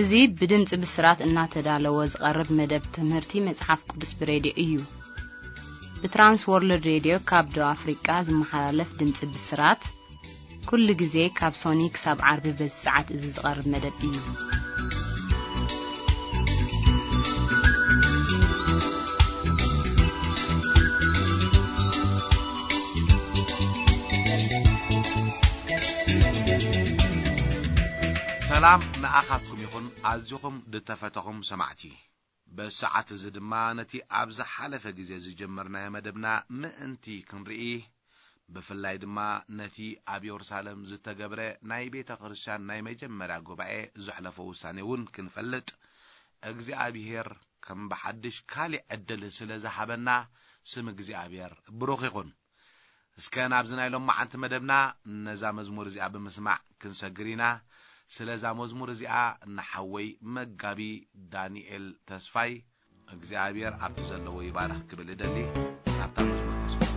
እዚ ብድምጺ ብስራት እናተዳለወ ዝቐርብ መደብ ትምህርቲ መጽሓፍ ቅዱስ ብሬድዮ እዩ። ብትራንስ ወርልድ ሬድዮ ካብ ደቡብ ኣፍሪቃ ዝመሓላለፍ ድምጺ ብስራት፣ ኩሉ ግዜ ካብ ሶኒ ክሳብ ዓርቢ በዚ ሰዓት እዚ ዝቐርብ መደብ እዩ። ሰላም ንኣኻትኩም ይኹን፣ ኣዚኹም ዝተፈተኹም ሰማዕቲ። በዚ ሰዓት እዚ ድማ ነቲ ኣብ ዝሓለፈ ግዜ ዝጀመርናዮ መደብና ምእንቲ ክንርኢ፣ ብፍላይ ድማ ነቲ ኣብ የሩሳሌም ዝተገብረ ናይ ቤተ ክርስቲያን ናይ መጀመርያ ጉባኤ ዘሕለፎ ውሳኔ እውን ክንፈልጥ፣ እግዚኣብሔር ከም ብሓድሽ ካሊእ ዕድል ስለ ዝሃበና፣ ስም እግዚኣብሔር ብሩኽ ይኹን። እስከ ናብዚ ናይ ሎማዓንቲ መደብና ነዛ መዝሙር እዚኣ ብምስማዕ ክንሰግር ኢና። ስለዛ መዝሙር እዚኣ ንሓወይ መጋቢ ዳንኤል ተስፋይ እግዚኣብሔር ኣብቲ ዘለዎ ይባርኽ ክብል እደሊ። ናብታ መዝሙር ንስማዕ።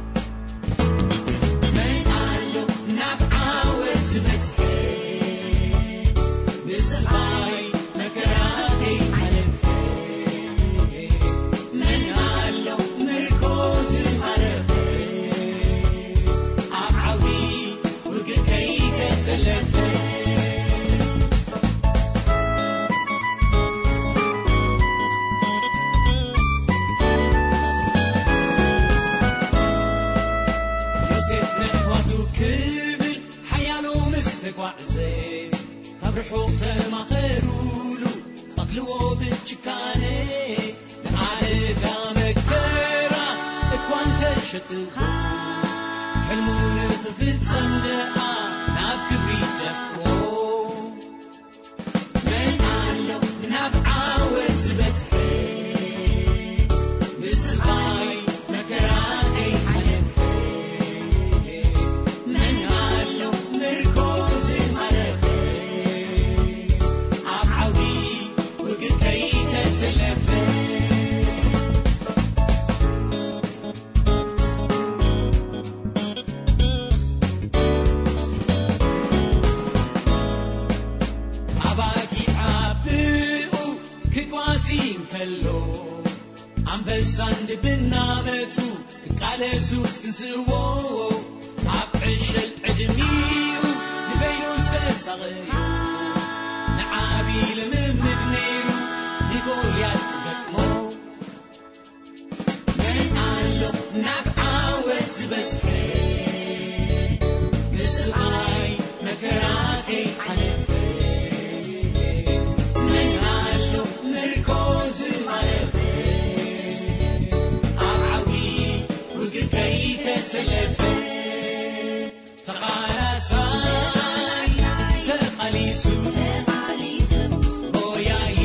መን ኣሎ ናብ ዓወት ዝበጽሐ፣ ብስቓይ መከራ ከይሓለፈ? መን ኣሎ ምርኮ ዝማረኸ፣ ኣብ ዓውዲ ውግእ ከይተሰለፈ? ዮሴፍ ነሕዋቱ ክብል ሓያሎ ምስ ተጓዕዘ፣ ካብ ርሑቕ ተማኸሩሉ፣ ቐትልዎ ብጭካነ። ንኣደዳ መከራ እኳ እንተሸጥዎ፣ ሕልሙ ንኽፍጸም ደኣ ናብ ክብሪ ደፍኦ። መን ኣሎ ናብ ዓወት ዝበጽሐ፣ ብስቓይ መከራ ከይሓለፈ? መን ኣሎ ምርኮ ዝማረኸ፣ ኣብ ዓውዲ ውግእ ከይተሰለፈ? ኣባጊዕ ብኡ ክጓሲ እንከሎ፣ ኣንበሳን ድብን እናመጹ ክቃለሱ ክትንስእዎ፣ ኣብ ዕሸል ዕድሚኡ ንበይኑ ዝተሳቐዮ፣ ንዓቢ ልምምድ ነይሩ ንጎልያድ ክገጥሞ። መን ኣሎ ናብ ዓወት ዝበጽሐ፣ ብስቓይ መከራ ከይሓለፈ? መን ኣሎ ምርኮ ዝማረኸ፣ ኣብ ዓውዲ ውግእ ከይተሰለፈ? ተቓላሳይ ተቓሊሱ፣ ጎያዪ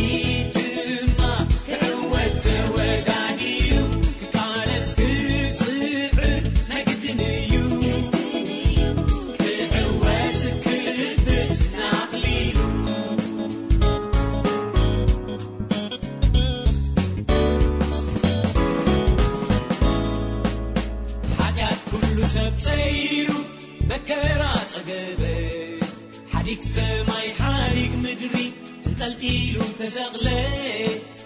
ድማ ክዕወት ተወዳዲሩ፣ ክቃለስ ክጽዕር ናይ ግድን እዩ፣ ክዕወት ክጭብጥ ንኣኽሊሉ። ሓጢኣት ኩሉ ሰብ ጸይሩ፣ መከራ ጸገበ፣ ሓዲግ ሰማይ ሓዲግ ምድሪ ተንጠልጢሉ ተሰቕለ፣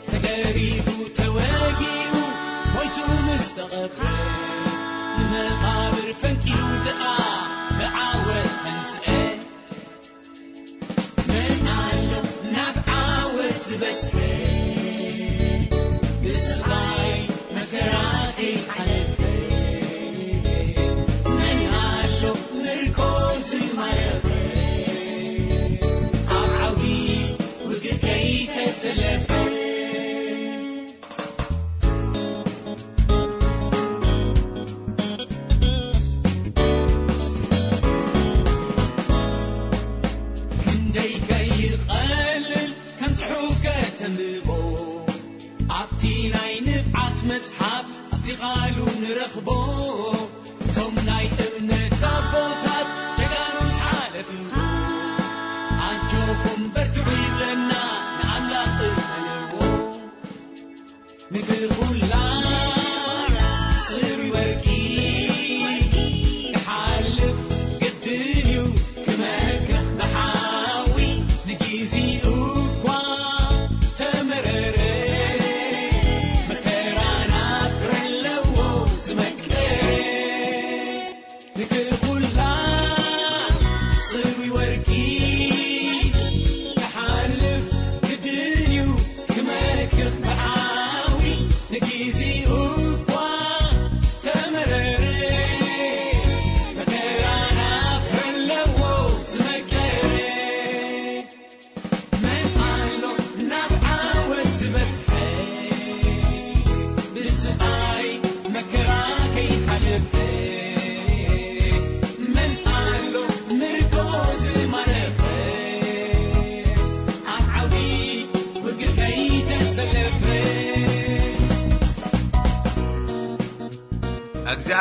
ተገሪፉ ተወጊኡ ሞይቱ ምስ ተቐብረ፣ ንመቓብር ፈንቂሉ ደኣ ብዓወት ተንስአ። መን ኣሎ ናብ ዓወት ዝበጽሐ፣ ብስቓይ መከራ ከይሓለፈ? መን ኣሎ ምርኮ ዝማረኸ፣ ኣብ ዓውዲ ውግእ ከይተሰለፈ? ክንደይ ከይቐልል ከም ጽሑፍ ከተንብቦ፣ ኣብቲ ናይ ንብዓት መጽሓፍ፣ ኣብቲ ቓሉ ንረኽቦ። እቶም ናይ እምነት ኣቦታት ጀጋኑ ሓለፍዎ፣ ኣጆኹም በርትዑ ይብለና ንኣምላኽ እመንዎ። ምድሪ ኩላ ጽሩይ ወርቂ ክሓልፍ ግድን እዩ፣ ክመክኽ ብሓዊ ንግዜኡ እኳ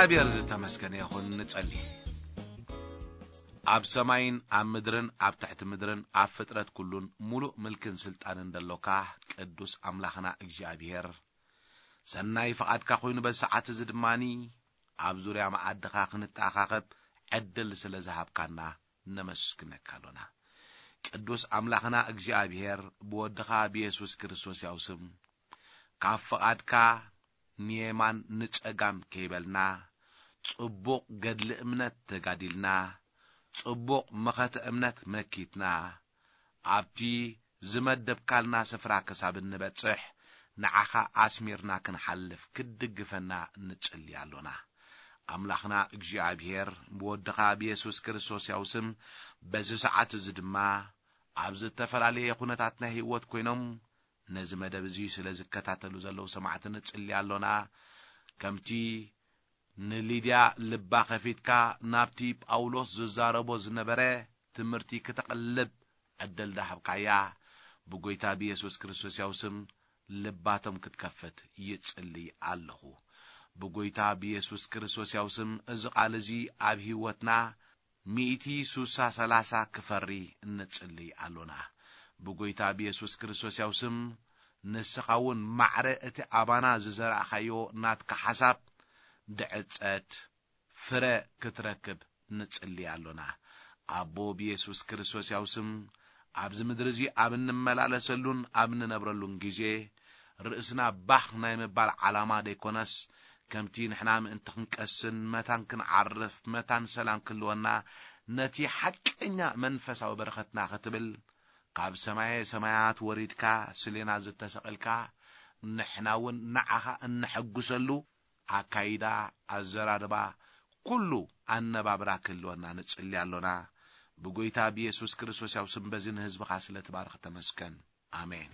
እግዚኣብሔር ዝተመስገነ ይኹን። ንጸሊ። ኣብ ሰማይን ኣብ ምድርን ኣብ ትሕቲ ምድርን ኣብ ፍጥረት ኩሉን ሙሉእ ምልክን ስልጣንን ደሎካ ቅዱስ ኣምላኽና እግዚኣብሔር፣ ሰናይ ፍቓድካ ኮይኑ በዚ ሰዓት እዚ ድማኒ ኣብ ዙርያ መኣድኻ ክንተኣኻኸብ ዕድል ስለ ዝሃብካና ነመስግነካ ኣሎና። ቅዱስ ኣምላኽና እግዚኣብሔር ብወድኻ ብየሱስ ክርስቶስ ያው ስም ካብ ፍቓድካ ንየማን ንጸጋም ከይበልና፣ ጽቡቕ ገድሊ እምነት ተጋዲልና፣ ጽቡቕ መኸተ እምነት መኪትና፣ ኣብቲ ዝመደብካልና ስፍራ ክሳብ እንበጽሕ፣ ንዓኻ ኣስሚርና ክንሓልፍ ክትድግፈና ንጽሊ ኣሎና። ኣምላኽና እግዚኣብሔር ብወድኻ ብየሱስ ክርስቶስ ያው ስም በዚ ሰዓት እዚ ድማ ኣብ ዝተፈላለየ ኩነታት ናይ ህይወት ኮይኖም ነዚ መደብ እዚ ስለ ዝከታተሉ ዘለዉ ሰማዕቲ ንጽሊ ኣሎና። ከምቲ ንሊድያ ልባ ከፊትካ ናብቲ ጳውሎስ ዝዛረቦ ዝነበረ ትምህርቲ ክተቕልብ ዕድል ዳሃብካያ፣ ብጎይታ ብየሱስ ክርስቶስ ያው ስም ልባቶም ክትከፍት ይጽሊ ኣለኹ። ብጎይታ ብየሱስ ክርስቶስ ያው ስም እዚ ቃል እዚ ኣብ ህይወትና ሚእቲ ሱሳ ሰላሳ ክፈሪ እንጽሊ ኣሎና። ብጎይታ ብየሱስ ክርስቶስ ያው ስም ንስኻ እውን ማዕረ እቲ ኣባና ዝዘራእኻዮ ናትካ ሓሳብ ድዕጸት ፍረ ክትረክብ ንጽሊ ኣሎና። ኣቦ ብየሱስ ክርስቶስ ያው ስም ኣብዚ ምድሪ እዚ ኣብ እንመላለሰሉን ኣብ እንነብረሉን ግዜ ርእስና ባኽ ናይ ምባል ዓላማ ደይኮነስ፣ ከምቲ ንሕና ምእንቲ ክንቀስን መታን ክንዓርፍ መታን ሰላም ክህልወና ነቲ ሓቀኛ መንፈሳዊ በረኸትና ክትብል ካብ ሰማየ ሰማያት ወሪድካ ስሌና ዝተሰቐልካ፣ ንሕና እውን ንዓኻ እነሐጉሰሉ ኣካይዳ፣ ኣዘራርባ፣ ኩሉ ኣነባብራ ክህልወና ንጽሊ ኣሎና። ብጎይታ ብየሱስ ክርስቶስ ያው ስም በዚ ንህዝብኻ ስለ ትባርኽ ተመስገን። ኣሜን።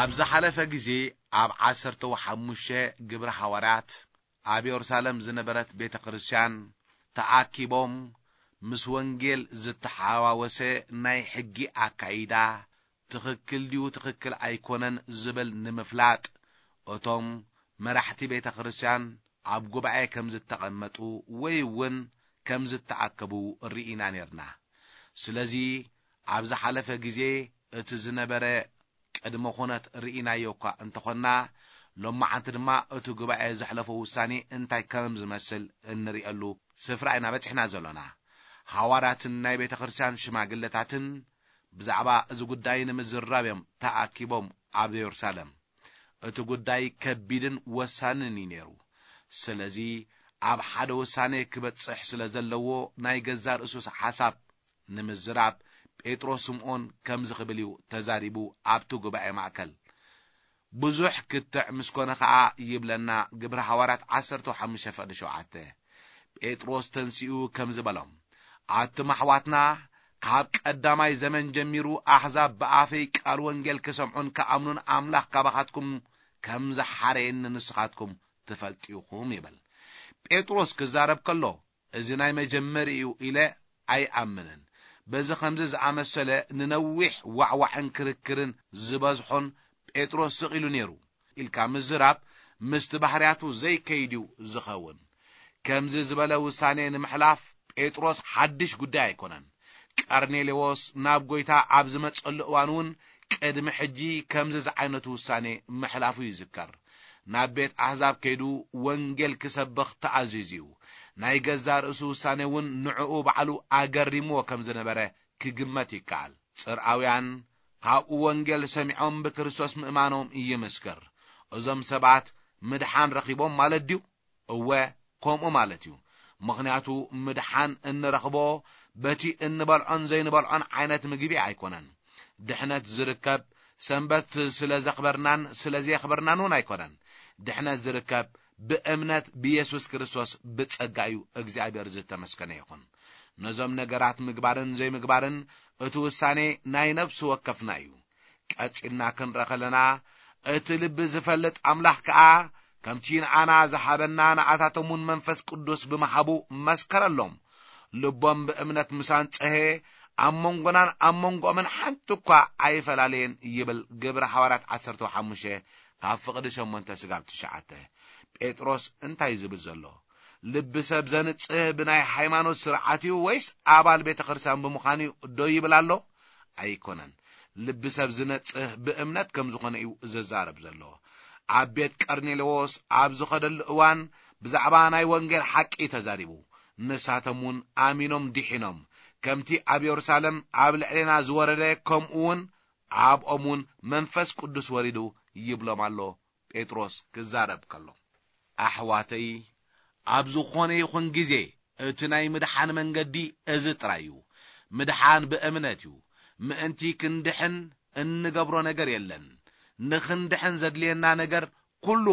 ኣብ ዝሓለፈ ግዜ ኣብ ዓሰርተ ሓሙሽተ ግብረ ሃዋርያት ኣብ የሩሳሌም ዝነበረት ቤተ ክርስቲያን ተኣኪቦም ምስ ወንጌል ዝተሓዋወሰ ናይ ሕጊ ኣካይዳ ትኽክል ድዩ ትኽክል ኣይኮነን ዝብል ንምፍላጥ እቶም መራሕቲ ቤተ ክርስቲያን ኣብ ጉባኤ ከም ዝተቐመጡ ወይ እውን ከም ዝተኣከቡ ርኢና ኔርና። ስለዚ ኣብ ዝሓለፈ ግዜ እቲ ዝነበረ ቅድመ ኩነት ርኢናዮ እኳ እንተኾንና፣ ሎማዓንቲ ድማ እቲ ጉባኤ ዘሕለፎ ውሳኔ እንታይ ከም ዝመስል እንርእየሉ ስፍራ ኢና በጺሕና ዘሎና። ሃዋርያትን ናይ ቤተ ክርስቲያን ሽማግለታትን ብዛዕባ እዚ ጉዳይ ንምዝራብ እዮም ተኣኪቦም ኣብ የሩሳሌም። እቲ ጉዳይ ከቢድን ወሳንን እዩ ነይሩ። ስለዚ ኣብ ሓደ ውሳኔ ክበጽሕ ስለ ዘለዎ ናይ ገዛ ርእሱ ሓሳብ ንምዝራብ ጴጥሮስ ስምዖን ከምዚ ክብል እዩ ተዛሪቡ ኣብቲ ጉባኤ ማእከል። ብዙሕ ክትዕ ምስ ኮነ ኸኣ ይብለና ግብሪ ሃዋርያት ዓሰርተ ሓሙሽተ ፍቕዲ ሸውዓተ። ጴጥሮስ ተንሲኡ ከምዚ በሎም፣ ኣቱም ኣሕዋትና፣ ካብ ቀዳማይ ዘመን ጀሚሩ ኣሕዛብ ብኣፈይ ቃል ወንጌል ክሰምዑን ክኣምኑን ኣምላኽ ካባኻትኩም ከም ዝሓረየኒ ንስኻትኩም ትፈልጡ ኢኹም ይብል። ጴጥሮስ ክዛረብ ከሎ፣ እዚ ናይ መጀመሪ እዩ ኢለ ኣይኣምንን። በዚ ከምዚ ዝኣመሰለ ንነዊሕ ዋዕዋዕን ክርክርን ዝበዝሖን ጴጥሮስ ስቕ ኢሉ ነይሩ ኢልካ ምዝራብ ምስቲ ባህርያቱ ዘይከይድ እዩ ዝኸውን። ከምዚ ዝበለ ውሳኔ ንምሕላፍ ጴጥሮስ ሓድሽ ጉዳይ ኣይኮነን። ቀርኔሌዎስ ናብ ጐይታ ኣብ ዝመጸሉ እዋን እውን ቅድሚ ሕጂ ከምዚ ዝዓይነቱ ውሳኔ ምሕላፉ ይዝከር። ናብ ቤት ኣሕዛብ ከይዱ ወንጌል ክሰብኽ ተኣዚዙ እዩ። ናይ ገዛእ ርእሱ ውሳኔ እውን ንዕኡ ባዕሉ ኣገሪምዎ ከም ዝነበረ ክግመት ይከኣል። ጽርኣውያን ካብኡ ወንጌል ሰሚዖም ብክርስቶስ ምእማኖም ይምስክር። እዞም ሰባት ምድሓን ረኺቦም ማለት ድዩ? እወ፣ ከምኡ ማለት እዩ። ምኽንያቱ ምድሓን እንረኽቦ በቲ እንበልዖን ዘይንበልዖን ዓይነት ምግቢ ኣይኮነን። ድሕነት ዝርከብ ሰንበት ስለ ዘኽበርናን ስለ ዘየኽበርናን እውን ኣይኮነን። ድሕነት ዝርከብ ብእምነት ብየሱስ ክርስቶስ ብጸጋ እዩ። እግዚኣብሔር ዝተመስገነ ይኹን። ነዞም ነገራት ምግባርን ዘይምግባርን እቲ ውሳኔ ናይ ነፍሲ ወከፍና እዩ። ቀጺልና ክንርኢ ከለና፣ እቲ ልቢ ዝፈልጥ ኣምላኽ ከኣ ከምቲ ንኣና ዝሃበና ንኣታቶም እውን መንፈስ ቅዱስ ብምሃቡ መስከረሎም። ልቦም ብእምነት ምስ ኣንጸሀ፣ ኣብ መንጎናን ኣብ መንጎኦምን ሓንቲ እኳ ኣይፈላለየን ይብል ግብሪ ሃዋርያት ዓሰርተ ሓሙሽተ ካብ ፍቕዲ ሸሞንተ ስጋብ ትሽዓተ። ጴጥሮስ እንታይ ዝብል ዘሎ? ልቢ ሰብ ዘንጽህ ብናይ ሃይማኖት ስርዓት እዩ ወይስ ኣባል ቤተ ክርስቲያን ብምዃን እዩ ዶ ይብል ኣሎ? ኣይኮነን። ልቢ ሰብ ዝነጽህ ብእምነት ከም ዝኾነ እዩ ዝዛረብ ዘሎ። ኣብ ቤት ቀርኔሌዎስ ኣብ ዝኸደሉ እዋን ብዛዕባ ናይ ወንጌል ሓቂ ተዛሪቡ። ንሳቶም እውን ኣሚኖም ድሒኖም። ከምቲ ኣብ የሩሳሌም ኣብ ልዕሌና ዝወረደ ከምኡ እውን ኣብኦም እውን መንፈስ ቅዱስ ወሪዱ ይብሎም ኣሎ። ጴጥሮስ ክዛረብ ከሎ፣ ኣሕዋተይ፣ ኣብ ዝኾነ ይኹን ግዜ እቲ ናይ ምድሓን መንገዲ እዚ ጥራይ እዩ። ምድሓን ብእምነት እዩ። ምእንቲ ክንድሕን እንገብሮ ነገር የለን። ንኽንድሕን ዘድልየና ነገር ኩሉ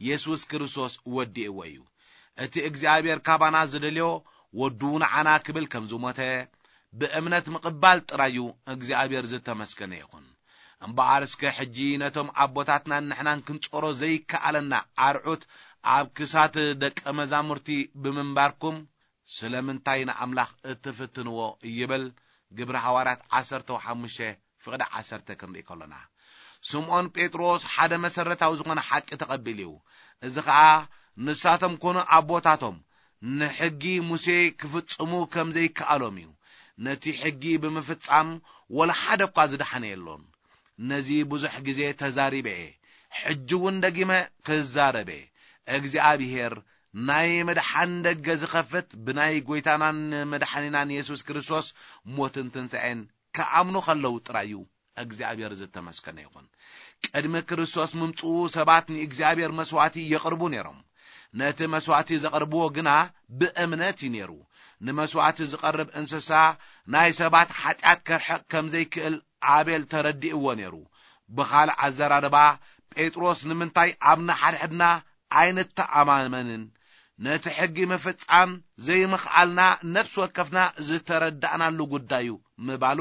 የሱስ ክርስቶስ ወዲእዎ እዩ። እቲ እግዚኣብሔር ካባና ዝደልዮ ወዱ ንዓና ክብል ከም ዝሞተ ብእምነት ምቕባል ጥራይ እዩ። እግዚኣብሔር ዝተመስገነ ይኹን። እምበኣር እስከ ሕጂ ነቶም ኣቦታትናን ንሕናን ክንጾሮ ዘይከኣለና ኣርዑት ኣብ ክሳት ደቀ መዛሙርቲ ብምንባርኩም ስለምንታይ ንኣምላኽ እትፍትንዎ? ይብል ግብሪ ሃዋርያት ዓሰርተ ሓሙሽተ ፍቕዲ ዓሰርተ ክንርኢ ከሎና። ስምዖን ጴጥሮስ ሓደ መሰረታዊ ዝኾነ ሓቂ ተቐቢሉ እዩ። እዚ ኸኣ ንሳቶም ኮኑ ኣቦታቶም ንሕጊ ሙሴ ክፍጽሙ ከም ዘይከኣሎም እዩ። ነቲ ሕጊ ብምፍጻም ወላ ሓደ እኳ ዝደሓነ የሎን። ነዚ ብዙሕ ግዜ ተዛሪበ እየ፣ ሕጂ እውን ደጊመ ክዛረብ እየ። እግዚኣብሔር ናይ ምድሓን ደገ ዝኸፍት ብናይ ጐይታናን መድሓኒናን የሱስ ክርስቶስ ሞትን ትንሳኤን ክኣምኑ ከለዉ ጥራይ እዩ። እግዚኣብሔር ዝተመስገነ ይኹን። ቅድሚ ክርስቶስ ምምጽኡ ሰባት ንእግዚኣብሔር መስዋዕቲ የቕርቡ ነይሮም። ነቲ መስዋዕቲ ዘቕርብዎ ግና ብእምነት እዩ ነይሩ። ንመስዋዕቲ ዝቐርብ እንስሳ ናይ ሰባት ሓጢኣት ከርሕቕ ከም ዘይክእል ኣቤል ተረዲእዎ ነይሩ። ብኻልእ ኣዘራርባ፣ ጴጥሮስ ንምንታይ ኣብ ንሓድሕድና ኣይንተኣማመንን? ነቲ ሕጊ ምፍጻም ዘይምኽኣልና ነፍሲ ወከፍና ዝተረዳእናሉ ጉዳይ እዩ ምባሉ፣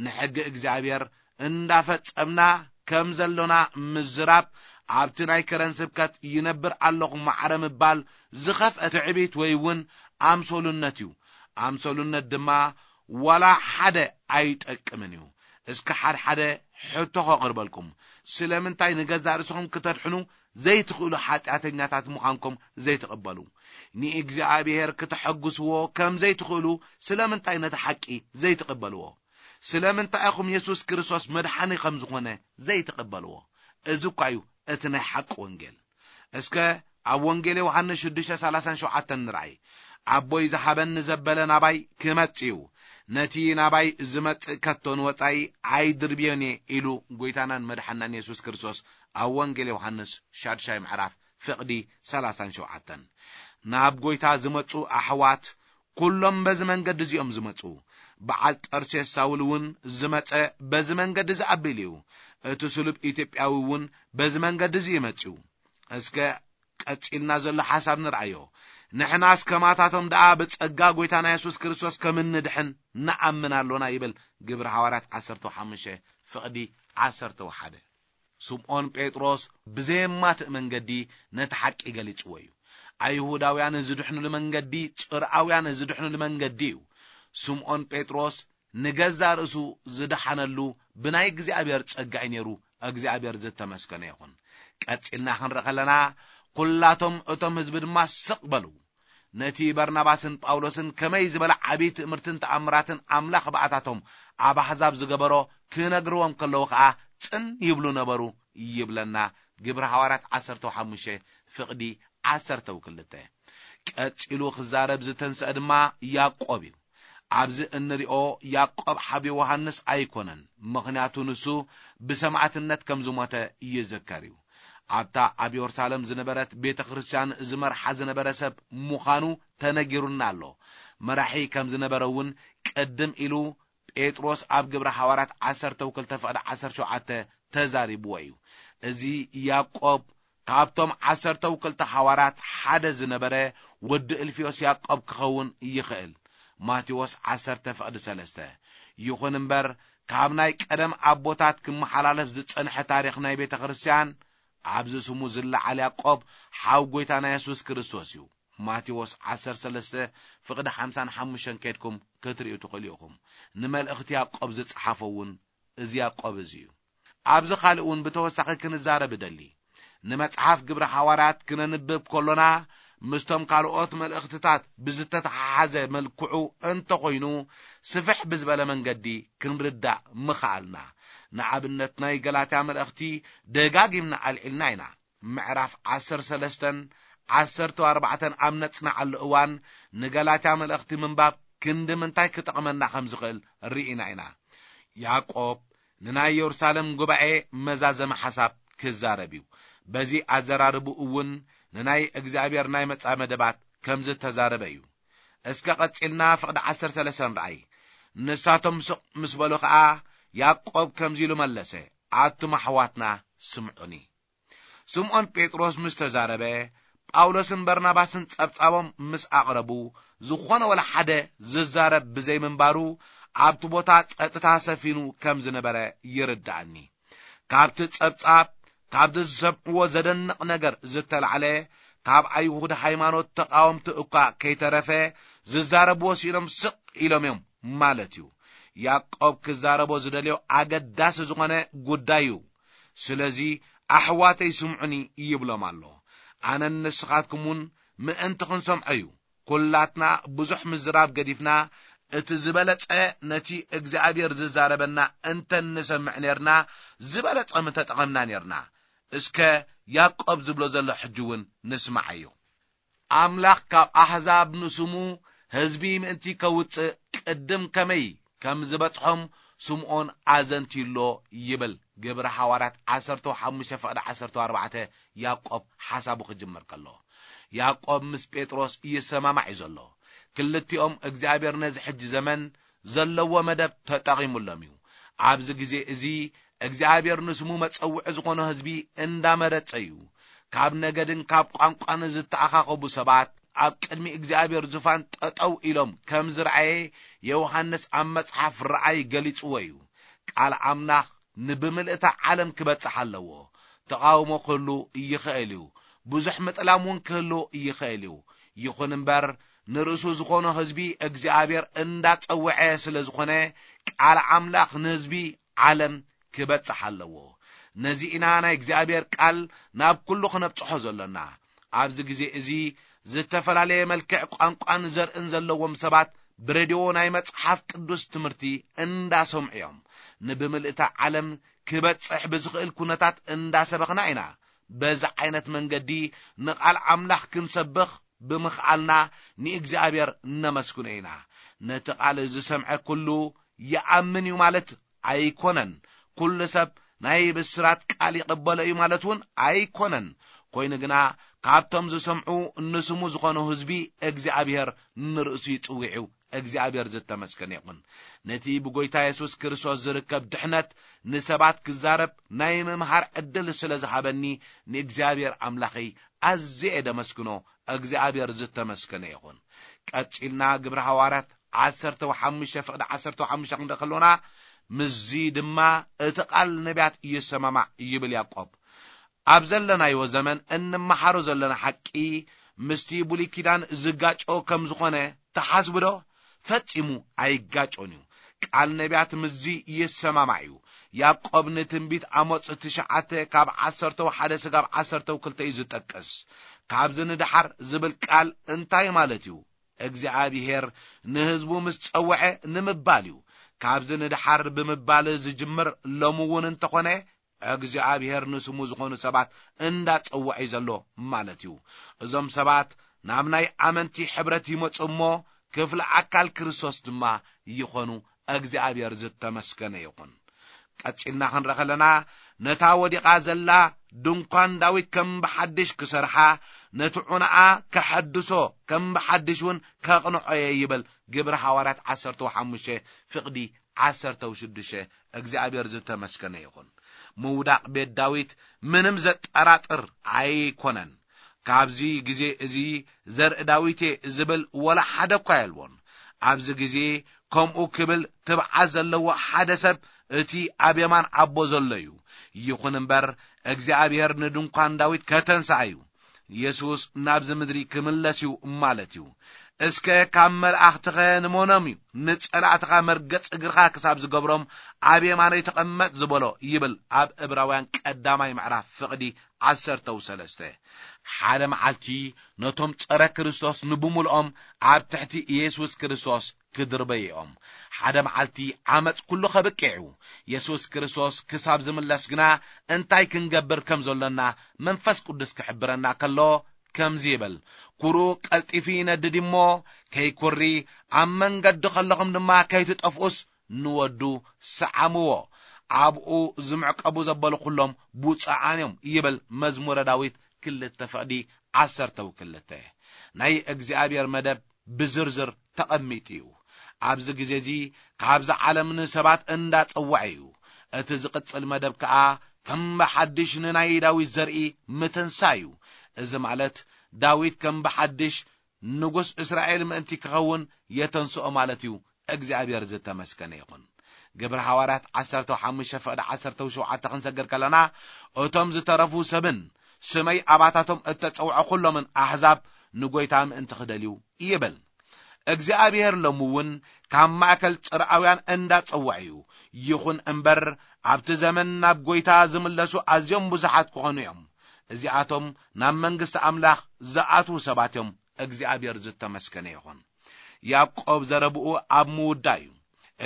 ንሕጊ እግዚኣብሔር እንዳፈጸምና ከም ዘሎና ምዝራብ፣ ኣብቲ ናይ ከረን ስብከት ይነብር ኣለኹ ማዕረ ምባል ዝኸፍአ ትዕቢት ወይ እውን ኣምሰሉነት እዩ። ኣምሰሉነት ድማ ዋላ ሓደ ኣይጠቅምን እዩ። እስከ ሓድሓደ ሕቶ ከቕርበልኩም። ስለምንታይ ንገዛእ ርእስኹም ክተድሕኑ ዘይትኽእሉ ሓጢኣተኛታት ምዃንኩም ዘይትቕበሉ? ንእግዚኣብሔር ክተሐጉስዎ ከም ዘይትኽእሉ ስለምንታይ ነቲ ሓቂ ዘይትቕበልዎ? ስለምንታይ ኢኹም የሱስ ክርስቶስ መድሓኒ ከም ዝኾነ ዘይትቕበልዎ? እዚ እኳ እዩ እቲ ናይ ሓቂ ወንጌል። እስከ ኣብ ወንጌል ዮሃንስ ሽዱሽተ ሰላሳን ሸውዓተን ንርኣይ። ኣቦይ ዝሃበኒ ዘበለ ናባይ ክመጽእ እዩ፣ ነቲ ናባይ ዝመጽእ ከቶ ንወጻኢ ኣይድርብዮን እየ ኢሉ ጐይታናን መድሓናን የሱስ ክርስቶስ ኣብ ወንጌል ዮሃንስ ሻድሻይ ምዕራፍ ፍቕዲ ሰላሳን ሸውዓተን። ናብ ጐይታ ዝመጹ ኣሕዋት ኩሎም በዚ መንገዲ እዚኦም ዝመጹ። በዓል ጠርሴስ ሳውል እውን ዝመጸ በዚ መንገዲ እዚ ኣቢሉ እዩ። እቲ ስሉብ ኢትዮጵያዊ እውን በዚ መንገዲ እዚ ይመጽኡ። እስከ ቀጺልና ዘሎ ሓሳብ ንርኣዮ። ንሕናስ ከማታቶም ደኣ ብጸጋ ጐይታና የሱስ ክርስቶስ ከም እንድሕን ንኣምን ኣሎና ይብል ግብሪ ሃዋርያት ዓሰርተ ሓሙሽተ ፍቕዲ ዓሰርተ ሓደ። ስምዖን ጴጥሮስ ብዘየማትእ መንገዲ ነቲ ሓቂ ገሊጽዎ እዩ። ኣይሁዳውያን ዝድሕኑሉ መንገዲ ጽርኣውያን ዝድሕኑሉ መንገዲ እዩ። ስምዖን ጴጥሮስ ንገዛእ ርእሱ ዝደሓነሉ ብናይ እግዚኣብሔር ጸጋ እዩ ነይሩ። እግዚኣብሔር ዝተመስገነ ይኹን። ቀጺልና ክንርኢ ከለና፣ ኩላቶም እቶም ህዝቢ ድማ ስቕ በሉ። ነቲ በርናባስን ጳውሎስን ከመይ ዝበለ ዓብዪ ትእምርትን ተኣምራትን ኣምላኽ ብኣታቶም ኣብ ኣሕዛብ ዝገበሮ ክነግርዎም ከለዉ ኸኣ ጽን ይብሉ ነበሩ ይብለና ግብሪ ሃዋርያት ዓሰርተ ሓሙሽተ ፍቕዲ ዓሰርተ ክልተ። ቀጺሉ ክዛረብ ዝተንስአ ድማ ያዕቆብ እዩ። ኣብዚ እንሪኦ ያዕቆብ ሓው ዮሃንስ ኣይኮነን፣ ምኽንያቱ ንሱ ብሰማዕትነት ከም ዝሞተ ይዝከር እዩ። ኣብታ ኣብ የሩሳሌም ዝነበረት ቤተ ክርስቲያን ዝመርሓ ዝነበረ ሰብ ምዃኑ ተነጊሩና ኣሎ። መራሒ ከም ዝነበረ እውን ቅድም ኢሉ ጴጥሮስ ኣብ ግብረ ሃዋርያት ዓሰርተ ክልተ ፍቕዲ ዓሰርተ ሸውዓተ ተዛሪብዎ እዩ። እዚ ያዕቆብ ካብቶም ዓሰርተ ክልተ ሃዋርያት ሓደ ዝነበረ ወዲ እልፍዮስ ያዕቆብ ክኸውን ይኽእል። ማቴዎስ ዓሰርተ ፍቕዲ ሰለስተ። ይኹን እምበር ካብ ናይ ቀደም ኣቦታት ክመሓላለፍ ዝጸንሐ ታሪኽ ናይ ቤተ ክርስቲያን፣ ኣብዚ ስሙ ዝለዓል ያዕቆብ ሓው ጐይታና የሱስ ክርስቶስ እዩ። ማቴዎስ ዓሰርተ ሰለስተ ፍቕዲ ሓምሳን ሓሙሽተን ከድኩም ክትርእዩ ትኽእሉ ኢኹም። ንመልእኽቲ ያዕቆብ ዝጸሓፎ እውን እዚ ያዕቆብ እዚ እዩ። ኣብዚ ካልእ እውን ብተወሳኺ ክንዛረብ እደሊ። ንመጽሓፍ ግብረ ሓዋርያት ክነንብብ ከሎና፣ ምስቶም ካልኦት መልእኽትታት ብዝተተሓሓዘ መልክዑ እንተኾይኑ፣ ስፍሕ ብዝበለ መንገዲ ክንርዳእ ምኽኣልና። ንኣብነት፣ ናይ ገላትያ መልእኽቲ ደጋጊምና ኣልዒልና ኢና። ምዕራፍ ዓሰርተ ሰለስተን ዓሰርተ ኣርባዕተን ኣብ ነጽናዓሉ እዋን፣ ንገላትያ መልእኽቲ ምንባብ ክንዲ ምንታይ ክጠቕመና ከም ዝኽእል ርኢና ኢና። ያዕቆብ ንናይ የሩሳሌም ጉባኤ መዛዘሚ ሓሳብ ክዛረብ እዩ። በዚ ኣዘራርቡ እውን ንናይ እግዚኣብሔር ናይ መጻ መደባት ከም ዝተዛረበ እዩ። እስከ ቀጺልና ፍቕዲ ዓሰርተ ሰለስተ ንርኣይ። ንሳቶም ስቕ ምስ በሉ ኸኣ፣ ያዕቆብ ከምዚ ኢሉ መለሰ፣ ኣቱም ኣሕዋትና ስምዑኒ። ስምዖን ጴጥሮስ ምስ ተዛረበ፣ ጳውሎስን በርናባስን ጸብጻቦም ምስ ኣቕረቡ፣ ዝኾነ ወላ ሓደ ዝዛረብ ብዘይምንባሩ፣ ኣብቲ ቦታ ጸጥታ ሰፊኑ ከም ዝነበረ ይርድኣኒ። ካብቲ ጸብጻብ፣ ካብቲ ዝሰምዕዎ ዘደንቕ ነገር ዝተላዕለ፣ ካብ ኣይሁድ ሃይማኖት ተቓወምቲ እኳ ከይተረፈ፣ ዝዛረብዎ ስኢኖም ስቕ ኢሎም እዮም ማለት እዩ። ያዕቆብ ክዛረቦ ዝደልዮ ኣገዳሲ ዝኾነ ጉዳይ እዩ። ስለዚ፣ ኣሕዋተይ ስምዑኒ ይብሎም ኣሎ። ኣነን ንስኻትኩም እውን ምእንቲ ክንሰምዖ እዩ። ኩላትና ብዙሕ ምዝራብ ገዲፍና፣ እቲ ዝበለጸ ነቲ እግዚኣብሔር ዝዛረበና እንተ ንሰምዕ ኔርና፣ ዝበለጸ ምተጠቐምና ኔርና። እስከ ያዕቆብ ዝብሎ ዘሎ ሕጂ እውን ንስማዓዮ። ኣምላኽ ካብ ኣህዛብ ንስሙ ህዝቢ ምእንቲ ከውጽእ ቅድም ከመይ ከም ዝበጽሖም ስምዖን ኣዘንትዩሎ ይብል ግብሪ ሃዋርያት ዓሰርተ ሓሙሽተ ፍቕዲ ዓሰርተ ኣርባዕተ። ያዕቆብ ሓሳቡ ክጅምር ከሎ፣ ያዕቆብ ምስ ጴጥሮስ ይሰማማዕ እዩ ዘሎ። ክልቲኦም እግዚኣብሔር ነዚ ሕጂ ዘመን ዘለዎ መደብ ተጠቒሙሎም እዩ። ኣብዚ ግዜ እዚ እግዚኣብሔር ንስሙ መጸውዒ ዝኾኖ ህዝቢ እንዳመረጸ እዩ። ካብ ነገድን ካብ ቋንቋን ዝተኣኻኸቡ ሰባት ኣብ ቅድሚ እግዚኣብሔር ዙፋን ጠጠው ኢሎም ከም ዝረኣየ ዮሃንስ ኣብ መጽሓፍ ረኣይ ገሊጽዎ እዩ። ቃል ኣምላኽ ንብምልእታ ዓለም ክበጽሕ ኣለዎ። ተቓውሞ ክህሉ ይኽእል እዩ። ብዙሕ ምጥላም እውን ክህሉ ይኽእል እዩ። ይኹን እምበር፣ ንርእሱ ዝኾኖ ህዝቢ እግዚኣብሔር እንዳጸውዐ ስለ ዝኾነ፣ ቃል ኣምላኽ ንህዝቢ ዓለም ክበጽሕ ኣለዎ። ነዚ ኢና ናይ እግዚኣብሔር ቃል ናብ ኩሉ ክነብጽሖ ዘሎና። ኣብዚ ግዜ እዚ ዝተፈላለየ መልክዕ ቋንቋን ዘርእን ዘለዎም ሰባት ብሬድዮ ናይ መጽሓፍ ቅዱስ ትምህርቲ እንዳሰምዑ እዮም። ንብምልእታ ዓለም ክበጽሕ ብዝኽእል ኩነታት እንዳሰበኽና ኢና። በዚ ዓይነት መንገዲ ንቓል ኣምላኽ ክንሰብኽ ብምኽኣልና ንእግዚኣብሔር እነመስግኖ ኢና። ነቲ ቃል ዝሰምዐ ኩሉ ይኣምን እዩ ማለት ኣይኮነን። ኩሉ ሰብ ናይ ብስራት ቃል ይቕበሎ እዩ ማለት እውን ኣይኮነን። ኮይኑ ግና፣ ካብቶም ዝሰምዑ ንስሙ ዝኾኑ ህዝቢ እግዚኣብሔር ንርእሱ ይጽውዕ እዩ። እግዚኣብሔር ዝተመስገነ ይኹን። ነቲ ብጎይታ የሱስ ክርስቶስ ዝርከብ ድሕነት ንሰባት ክዛረብ ናይ ምምሃር ዕድል ስለ ዝሃበኒ ንእግዚኣብሔር ኣምላኸይ ኣዝየ እየ ደመስግኖ። እግዚኣብሔር ዝተመስገነ ይኹን። ቀጺልና ግብሪ ሃዋርያት ዓሰርተ ሓሙሽተ ፍቕዲ ዓሰርተ ሓሙሽተ ክንርኢ ከሎና፣ ምስዚ ድማ እቲ ቃል ነቢያት ይሰማማዕ ይብል ያዕቆብ። ኣብ ዘለናዮ ዘመን እንመሃሮ ዘለና ሓቂ ምስቲ ብሉይ ኪዳን ዝጋጮ ከም ዝኾነ ትሓስቡ ዶ? ፈጺሙ ኣይጋጮን እዩ። ቃል ነቢያት ምስዚ ይሰማማዕ እዩ። ያዕቆብ ንትንቢት ኣሞጽ ትሽዓተ ካብ ዓሰርተው ሓደ ስጋብ ዓሰርተው ክልተ እዩ ዝጠቅስ። ካብዚ ንደሓር ዝብል ቃል እንታይ ማለት እዩ? እግዚኣብሔር ንህዝቡ ምስ ጸውዐ ንምባል እዩ። ካብዚ ንደሓር ብምባል ዝጅምር ሎሚ እውን እንተኾነ እግዚኣብሔር ንስሙ ዝኾኑ ሰባት እንዳጸውዐ እዩ ዘሎ ማለት እዩ። እዞም ሰባት ናብ ናይ ኣመንቲ ሕብረት ይመጹ እሞ ክፍሊ ኣካል ክርስቶስ ድማ ይኾኑ። እግዚኣብሔር ዝተመስገነ ይኹን። ቀጺልና ክንርኢ ከለና፣ ነታ ወዲቓ ዘላ ድንኳን ዳዊት ከም ብሓድሽ ክሰርሓ፣ ነቲ ዑናኣ ከሐድሶ፣ ከም ብሓድሽ እውን ከቕንዖ እየ ይብል ግብሪ ሃዋርያት ዓሰርተ ሓሙሽተ ፍቕዲ ዓሰርተ ሽዱሽተ። እግዚኣብሔር ዝተመስገነ ይኹን። ምውዳቕ ቤት ዳዊት ምንም ዘጠራጥር ኣይኮነን። ካብዚ ግዜ እዚ ዘርኢ ዳዊት እየ ዝብል ወላ ሓደ እኳ የልቦን። ኣብዚ ግዜ ከምኡ ክብል ትብዓት ዘለዎ ሓደ ሰብ እቲ ኣብ የማን ኣቦ ዘሎ እዩ። ይኹን እምበር እግዚኣብሔር ንድንኳን ዳዊት ከተንስኣ እዩ። የሱስ ናብዚ ምድሪ ክምለስ እዩ ማለት እዩ። እስከ ካብ መላእኽትኸ ንመኖም እዩ ንጸላእትኻ መርገጽ እግርኻ ክሳብ ዝገብሮም ኣብ የማነይ ተቐመጥ ዝበሎ ይብል ኣብ ዕብራውያን ቀዳማይ ምዕራፍ ፍቕዲ ዓሰርተው ሰለስተ። ሓደ መዓልቲ ነቶም ጸረ ክርስቶስ ንብሙልኦም ኣብ ትሕቲ ኢየሱስ ክርስቶስ ክድርበይኦም። ሓደ መዓልቲ ዓመፅ ኩሉ ከብቅዕ እዩ። የሱስ ክርስቶስ ክሳብ ዝምለስ ግና እንታይ ክንገብር ከም ዘሎና መንፈስ ቅዱስ ክሕብረና ከሎ ከምዚ ይብል፣ ኩሩ ቀልጢፊ ይነድድ እሞ ከይኩሪ፣ ኣብ መንገዲ ከለኹም ድማ ከይትጠፍኡስ ንወዱ ሰዓምዎ። ኣብኡ ዝምዕቀቡ ዘበሉ ኩሎም ብፁዓን እዮም ይብል መዝሙረ ዳዊት ክልተ ፍቕዲ ዓሰርተው ክልተ። ናይ እግዚኣብሔር መደብ ብዝርዝር ተቐሚጡ እዩ። ኣብዚ ግዜ እዚ ካብዛ ዓለም ንሰባት እንዳጸውዐ እዩ። እቲ ዝቕጽል መደብ ከኣ ከም ብሓድሽ ንናይ ዳዊት ዘርኢ ምትንሳ እዩ። እዚ ማለት ዳዊት ከም ብሓድሽ ንጉስ እስራኤል ምእንቲ ክኸውን የተንስኦ ማለት እዩ። እግዚኣብሔር ዝተመስገነ ይኹን። ግብሪ ሃዋርያት ዓሰርተ ሓሙሽተ ፍቕዲ ዓሰርተ ሸውዓተ ክንሰግር ከለና፣ እቶም ዝተረፉ ሰብን ስመይ ኣባታቶም እተጸውዐ ኩሎምን ኣሕዛብ ንጎይታ ምእንቲ ክደልዩ ይብል። እግዚኣብሔር ሎሚ እውን ካብ ማእከል ጽርኣውያን እንዳጸውዐ እዩ። ይኹን እምበር ኣብቲ ዘመን ናብ ጎይታ ዝምለሱ ኣዝዮም ብዙሓት ክኾኑ እዮም። እዚኣቶም ናብ መንግስቲ ኣምላኽ ዝኣትዉ ሰባት እዮም። እግዚኣብሔር ዝተመስገነ ይኹን። ያዕቆብ ዘረብኡ ኣብ ምውዳእ እዩ።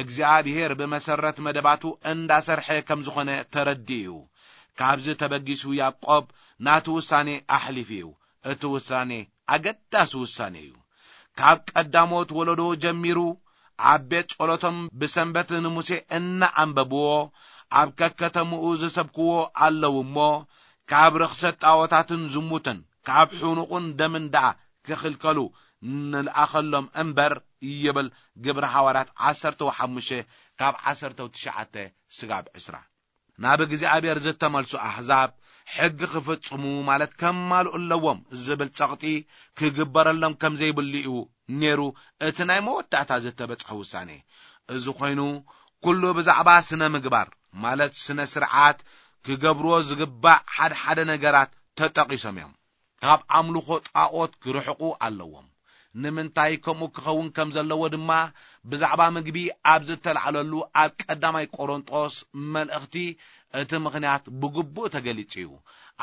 እግዚኣብሔር ብመሰረት መደባቱ እንዳሰርሐ ከም ዝኾነ ተረዲኡ እዩ። ካብዚ ተበጊሱ ያዕቆብ ናቱ ውሳኔ ኣሕሊፉ እዩ። እቲ ውሳኔ ኣገዳሲ ውሳኔ እዩ። ካብ ቀዳሞት ወለዶ ጀሚሩ ኣብ ቤት ጸሎቶም ብሰንበት ንሙሴ እናኣንበብዎ ኣብ ከከተምኡ ዝሰብክዎ ኣለዉ እሞ፣ ካብ ርኽሰት ጣዖታትን ዝሙትን ካብ ሕኑቑን ደምን ደኣ ክኽልከሉ ንልኣኸሎም እምበር ይብል ግብሪ ሃዋርያት ዓሰርተ ሓሙሽተ ካብ ዓሰርተ ትሽዓተ ስጋብ ዕስራ። ናብ እግዚኣብሔር ዝተመልሱ ኣሕዛብ ሕጊ ክፍጽሙ ማለት ከማልኡ ኣለዎም ዝብል ጸቕጢ ክግበረሎም ከም ዘይብሉ እዩ ነይሩ እቲ ናይ መወዳእታ ዝተበጽሐ ውሳኔ። እዚ ኮይኑ ኩሉ ብዛዕባ ስነ ምግባር ማለት ስነ ስርዓት ክገብርዎ ዝግባእ ሓደ ሓደ ነገራት ተጠቒሶም እዮም። ካብ ኣምልኾ ጣዖት ክርሕቑ ኣለዎም። ንምንታይ ከምኡ ክኸውን ከም ዘለዎ ድማ ብዛዕባ ምግቢ ኣብ ዝተላዕለሉ ኣብ ቀዳማይ ቆሮንጦስ መልእኽቲ እቲ ምኽንያት ብግቡእ ተገሊጹ እዩ።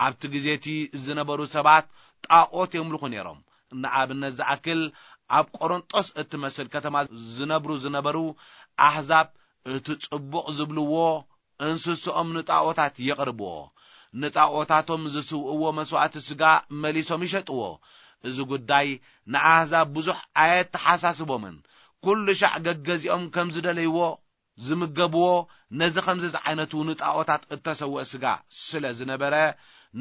ኣብቲ ግዜ እቲ ዝነበሩ ሰባት ጣዖት የምልኹ ነይሮም። ንኣብነት ዝኣክል ኣብ ቆሮንጦስ እትመስል ከተማ ዝነብሩ ዝነበሩ ኣሕዛብ እቲ ጽቡቕ ዝብልዎ እንስስኦም ንጣዖታት የቕርብዎ። ንጣዖታቶም ዝስውእዎ መስዋእቲ ስጋ መሊሶም ይሸጥዎ። እዚ ጉዳይ ንኣህዛብ ብዙሕ ኣየተሓሳስቦምን። ኩሉ ሻዕ ገገዚኦም ከም ዝደለይዎ ዝምገብዎ ነዚ ከምዚ ዝዓይነቱ ንጣዖታት እተሰውአ ስጋ ስለ ዝነበረ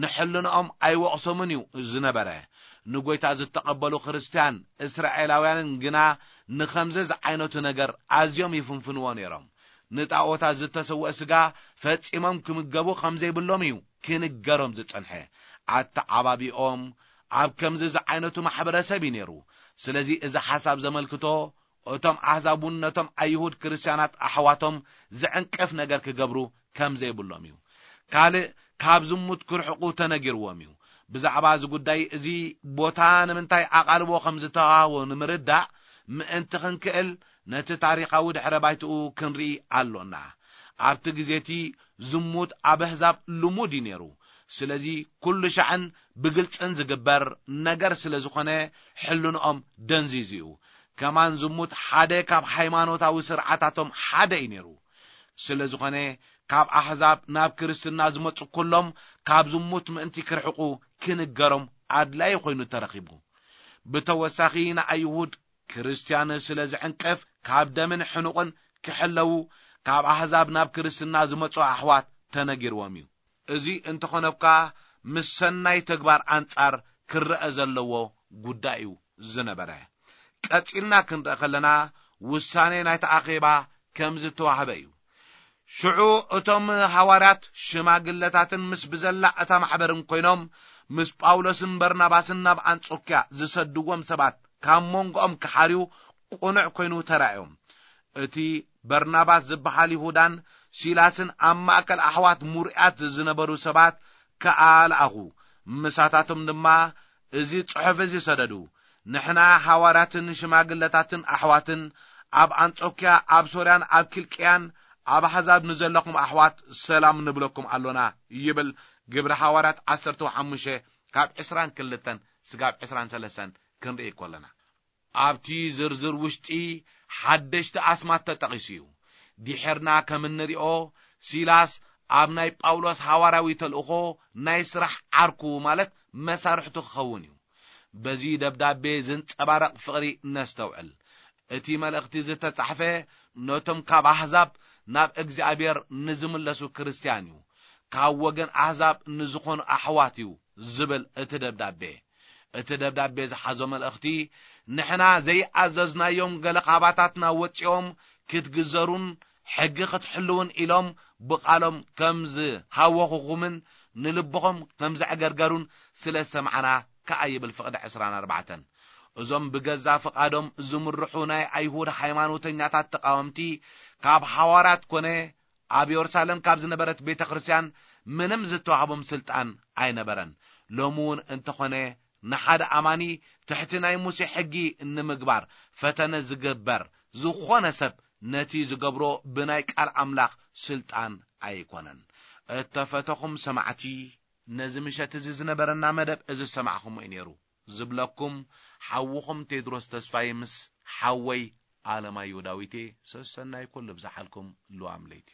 ንሕልንኦም ኣይወቕሶምን እዩ ዝነበረ። ንጎይታ ዝተቐበሉ ክርስትያን እስራኤላውያንን ግና ንኸምዚ ዝዓይነቱ ነገር ኣዝዮም ይፍንፍንዎ ነይሮም። ንጣዖታት ዝተሰውአ ስጋ ፈጺሞም ክምገቡ ከም ዘይብሎም እዩ ክንገሮም ዝጸንሐ። ኣተዓባቢኦም ኣብ ከምዚ ዝዓይነቱ ማሕበረሰብ እዩ ነይሩ። ስለዚ እዚ ሓሳብ ዘመልክቶ እቶም ኣሕዛብ እውን ነቶም ኣይሁድ ክርስትያናት ኣሕዋቶም ዝዕንቅፍ ነገር ክገብሩ ከም ዘይብሎም እዩ። ካልእ ካብ ዝሙት ክርሕቑ ተነጊርዎም እዩ። ብዛዕባ እዚ ጉዳይ እዚ ቦታ ንምንታይ ኣቓልቦ ከም ዝተዋህቦ ንምርዳእ ምእንቲ ክንክእል ነቲ ታሪኻዊ ድሕረ ባይትኡ ክንርኢ ኣሎና። ኣብቲ ግዜ እቲ ዝሙት ኣብ ኣህዛብ ልሙድ እዩ ነይሩ። ስለዚ ኩሉ ሻዕን ብግልጽን ዝግበር ነገር ስለ ዝኾነ ሕልንኦም ደንዚዙ እዩ። ከማን ዝሙት ሓደ ካብ ሃይማኖታዊ ስርዓታቶም ሓደ እዩ ነይሩ። ስለ ዝኾነ ካብ ኣህዛብ ናብ ክርስትና ዝመጹ ኩሎም ካብ ዝሙት ምእንቲ ክርሕቑ ክንገሮም ኣድላዪ ኮይኑ ተረኺቡ። ብተወሳኺ ንኣይሁድ ክርስትያን ስለ ዝዕንቅፍ ካብ ደምን ሕኑቕን ክሕለዉ ካብ ኣህዛብ ናብ ክርስትና ዝመጹ ኣሕዋት ተነጊርዎም እዩ። እዚ እንተኾነ እኳ ምስ ሰናይ ተግባር ኣንጻር ክረአ ዘለዎ ጉዳይ እዩ ዝነበረ። ቀጺልና ክንርኢ ከለና ውሳኔ ናይቲ ኣኼባ ከም ዝተዋህበ እዩ። ሽዑ እቶም ሃዋርያት ሽማግለታትን ምስ ብዘላ እታ ማሕበርን ኮይኖም ምስ ጳውሎስን በርናባስን ናብ ኣንጾክያ ዝሰድዎም ሰባት ካብ መንጎኦም ክሓርዩ ቅኑዕ ኮይኑ ተራእዮም። እቲ በርናባስ ዝበሃል ይሁዳን ሲላስን ኣብ ማእከል ኣሕዋት ሙሩያት ዝነበሩ ሰባት ከኣ ለኣኹ። ምሳታቶም ድማ እዚ ጽሑፍ እዚ ሰደዱ። ንሕና ሃዋርያትን ሽማግለታትን ኣሕዋትን ኣብ ኣንጾክያ፣ ኣብ ሶርያን ኣብ ኪልቅያን ኣብ ኣሕዛብ ንዘለኹም ኣሕዋት ሰላም ንብለኩም ኣሎና ይብል። ግብሪ ሃዋርያት ዓሰርተ ሓሙሽተ ካብ ዕስራን ክልተን ስጋብ ዕስራን ሰለስተን ክንርኢ ከለና። ኣብቲ ዝርዝር ውሽጢ ሓደሽቲ ኣስማት ተጠቒሱ እዩ። ድሒርና ከም እንሪኦ፣ ሲላስ ኣብ ናይ ጳውሎስ ሃዋርያዊ ተልእኾ ናይ ስራሕ ዓርኩ፣ ማለት መሳርሕቱ ክኸውን እዩ። በዚ ደብዳቤ ዝንጸባረቕ ፍቕሪ ነስተውዕል። እቲ መልእኽቲ ዝተጻሕፈ ነቶም ካብ ኣህዛብ ናብ እግዚኣብሔር ንዝምለሱ ክርስትያን እዩ። ካብ ወገን ኣህዛብ ንዝኾኑ ኣሕዋት እዩ ዝብል እቲ ደብዳቤ። እቲ ደብዳቤ ዝሓዞ መልእኽቲ፣ ንሕና ዘይኣዘዝናዮም ገለ ካባታትና ወጺኦም ክትግዘሩን ሕጊ ክትሕልውን ኢሎም ብቓሎም ከም ዝሃወኹኹምን ንልብኹም ከም ዘዕገርገሩን ስለ ዝሰማዕና ከኣ ይብል ፍቕዲ ዕስራን ኣርባዕተን። እዞም ብገዛ ፍቓዶም ዝምርሑ ናይ ኣይሁድ ሃይማኖተኛታት ተቃወምቲ ካብ ሃዋርያት ኮነ ኣብ የሩሳሌም ካብ ዝነበረት ቤተ ክርስቲያን ምንም ዝተዋህቦም ስልጣን ኣይነበረን። ሎሚ እውን እንተኾነ ንሓደ ኣማኒ ትሕቲ ናይ ሙሴ ሕጊ ንምግባር ፈተነ ዝግበር ዝኾነ ሰብ ነቲ ዝገብሮ ብናይ ቃል ኣምላኽ ስልጣን ኣይኮነን። እተፈተኹም ሰማዕቲ፣ ነዚ ምሸት እዚ ዝነበረና መደብ እዚ ዝሰማዕኹምዎ እዩ ነይሩ። ዝብለኩም ሓውኹም ቴድሮስ ተስፋይ ምስ ሓወይ ኣለማየሁ ዳዊቴ። ሰሰናይ ኩሉ ብዝሓልኩም ልዋም ለይቲ።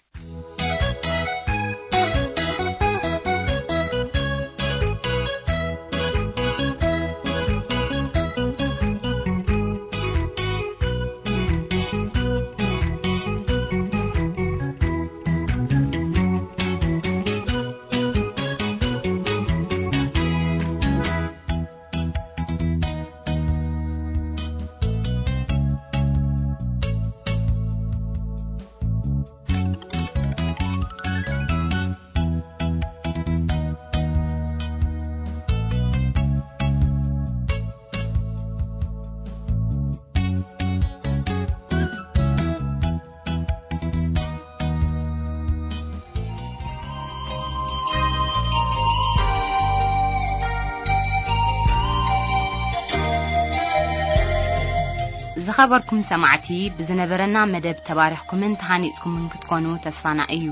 ዝኸበርኩም ሰማዕቲ፣ ብዝነበረና መደብ ተባሪኽኩምን ተሃኒጽኩምን ክትኮኑ ተስፋና እዩ።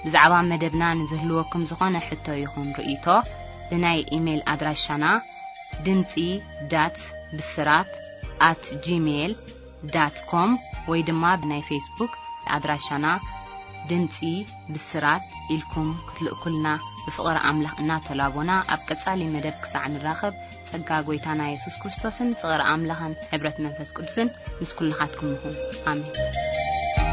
ብዛዕባ መደብና ንዝህልወኩም ዝኾነ ሕቶ ይኹን ርእይቶ፣ ብናይ ኢሜይል ኣድራሻና ድምጺ ዳት ብስራት ኣት ጂሜይል ዳት ኮም ወይ ድማ ብናይ ፌስቡክ ኣድራሻና ድምጺ ብስራት ኢልኩም ክትልእኩልና ብፍቕሪ ኣምላኽ እናተላቦና፣ ኣብ ቀጻሊ መደብ ክሳዕ ንራኸብ፣ ጸጋ ጐይታና የሱስ ክርስቶስን ፍቕሪ ኣምላኽን ሕብረት መንፈስ ቅዱስን ምስ ኩልኻትኩም ይኹን። ኣሜን።